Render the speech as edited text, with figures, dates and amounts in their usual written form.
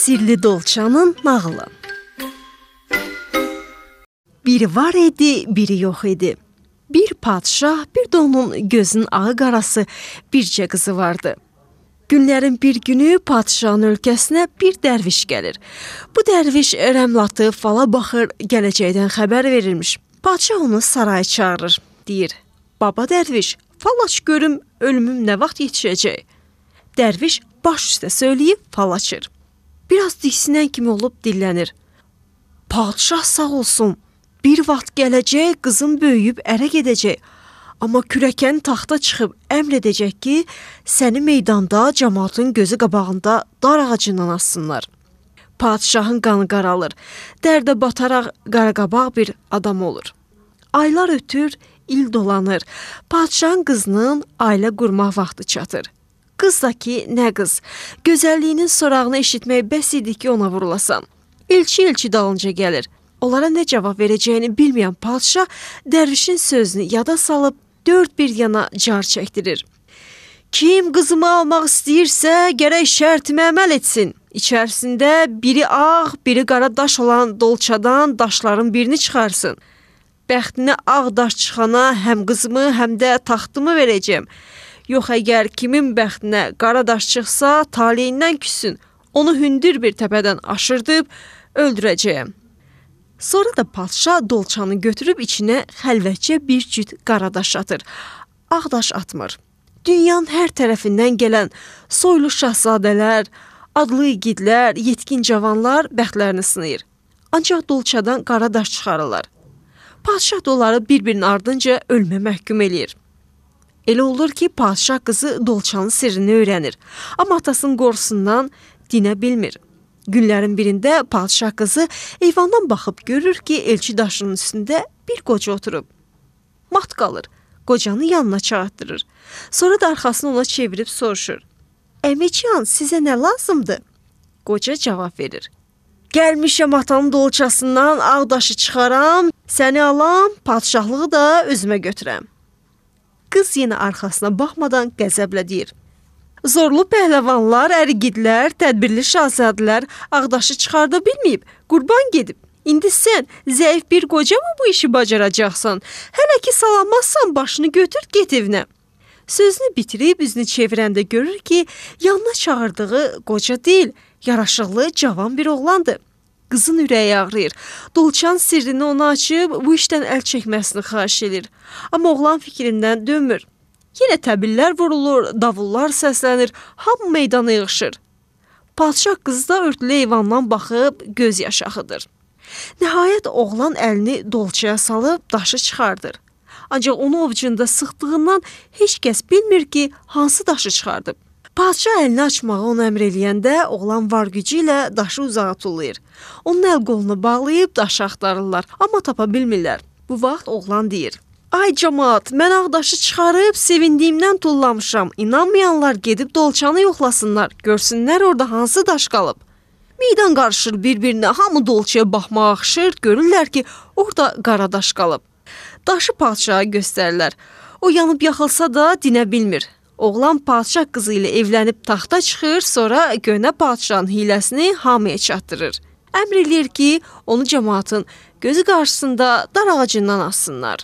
Sirli Dolçanın nağılı. Biri var idi, biri yox idi. Bir padşah, bir də onun gözünün ağı qarası bircə qızı vardı. Günlərin bir günü padşahın ölkəsinə bir dərviş gəlir. Bu dərviş rəmlatı fala baxır, gələcəkdən xəbər verilmiş. Padşah onu saraya çağırır, deyir: "Baba dərviş, fal aç görüm ölümüm nə vaxt yetişəcək?" Dərviş baş üstə söyləyib fal açır. Biraz diksinən kimi olub dillənir: "Padşah sağ olsun, bir vaxt gələcək, qızım böyüyüb ərə gedəcək. Amma kürəkən taxta çıxıb əmr edəcək ki, səni meydanda cəmaatın gözü qabağında dar ağacından assınlar." Padşahın qanı qaralır, dərdə bataraq qaraqabaq bir adam olur. Aylar ötür, il dolanır. Padşahın qızının ailə qurmaq vaxtı çatır. Qız da ki, nə qız, gözəlliyinin sorağını eşitmək bəs idi ki, ona vurulasan. Elçi dalınca gəlir. Onlara nə cavab verəcəyini bilməyən padşah dərvişin sözünü yada salıb dörd bir yana car çəkdirir. "Kim qızımı almaq istəyirsə, gərək şərtimə əməl etsin. İçərisində biri ağ, biri qara daş olan dolçadan daşların birini çıxarsın. Bəxtinə ağ daş çıxana həm qızımı, həm də taxtımı verəcəm. Yox, əgər kimin bəxtinə qara daş çıxsa, taleyindən küssün. Onu hündür bir təpədən aşırdıb öldürəcəyəm." Sonra da padşah dolçanı götürüb içinə xəlvətcə bir cüt qara daş atır. Ağ daş atmır. Dünyanın hər tərəfindən gələn soylu şahzadələr, adlı igidlər, yetkin cavanlar bəxtlərini sınayır. Ancaq dolçadan qara daş çıxarırlar. Padşah da onları bir-birinin ardınca ölümə məhkum eləyir. Elə olur ki, padşah qızı dolçanın sirrini öyrənir. Amma atasının qorxusundan dinə bilmir. Günlərin birində padşah qızı eyvandan baxıb görür ki, elçi daşının üstündə bir qoca oturub. Mat qalır, qocanı yanına çağırtdırır. Sonra da arxasını ona çevirib soruşur: "Əmican, sizə nə lazımdır?" Qoca cavab verir: "Gəlmişəm atanın dolçasından ağ daşı çıxaram, səni alam, padşahlığı da özümə götürəm." Qız yenə arxasına baxmadan qəzəblə deyir: "Zorlu pəhləvanlar, ərigidlər, tədbirli şahzadələr ağdaşı çıxarda bilməyib, qurban gedib. İndi sən zəif bir qoca mı bu işi bacaracaqsan? Hələ ki salamazsan başını götür, get evinə." Sözünü bitirib üzünü çevirəndə görür ki, yanına çağırdığı qoca deyil, yaraşıqlı, cavan bir oğlandır. Qızın ürəyi ağrıyır. Dolçanın sirrini ona açıb bu işdən əl çəkməsini xahiş edir. Amma oğlan fikrindən dönmür. Yenə təbillər vurulur, davullar səslənir, hamı meydana yığışır. Padşah qızı da örtülü eyvandan baxıb göz yaşı axıdır. Nəhayət oğlan əlini dolçaya salıb daşı çıxardır. Ancaq onu ovucunda sıxdığından heç kəs bilmir ki, hansı daşı çıxardıb. Padşah əlini açmağı ona əmr eləyəndə oğlan var gücü ilə daşı uzağa tullayır. Onun əl qolunu bağlayıb daşı axtarırlar, amma tapa bilmirlər. Bu vaxt oğlan deyir: "Ay camaat, mən ağ daşı çıxarıb sevindiyimdən tullamışam. İnanmayanlar gedib dolçanı yoxlasınlar, görsünlər orada hansı daş qalıb." Meydan qarışır bir-birinə, hamı dolçaya baxmağa axışır, görürlər ki, orada qara daş qalıb. Daşı padşaha göstərirlər. O yanıb yaxılsa da dinə bilmir. Oğlan padşah qızı ilə evlənib taxta çıxır, sonra gönə padşahın hiləsini hamıya çatdırır. Əmr eləyir ki, onu cəmaatın gözü qarşısında dar ağacından assınlar.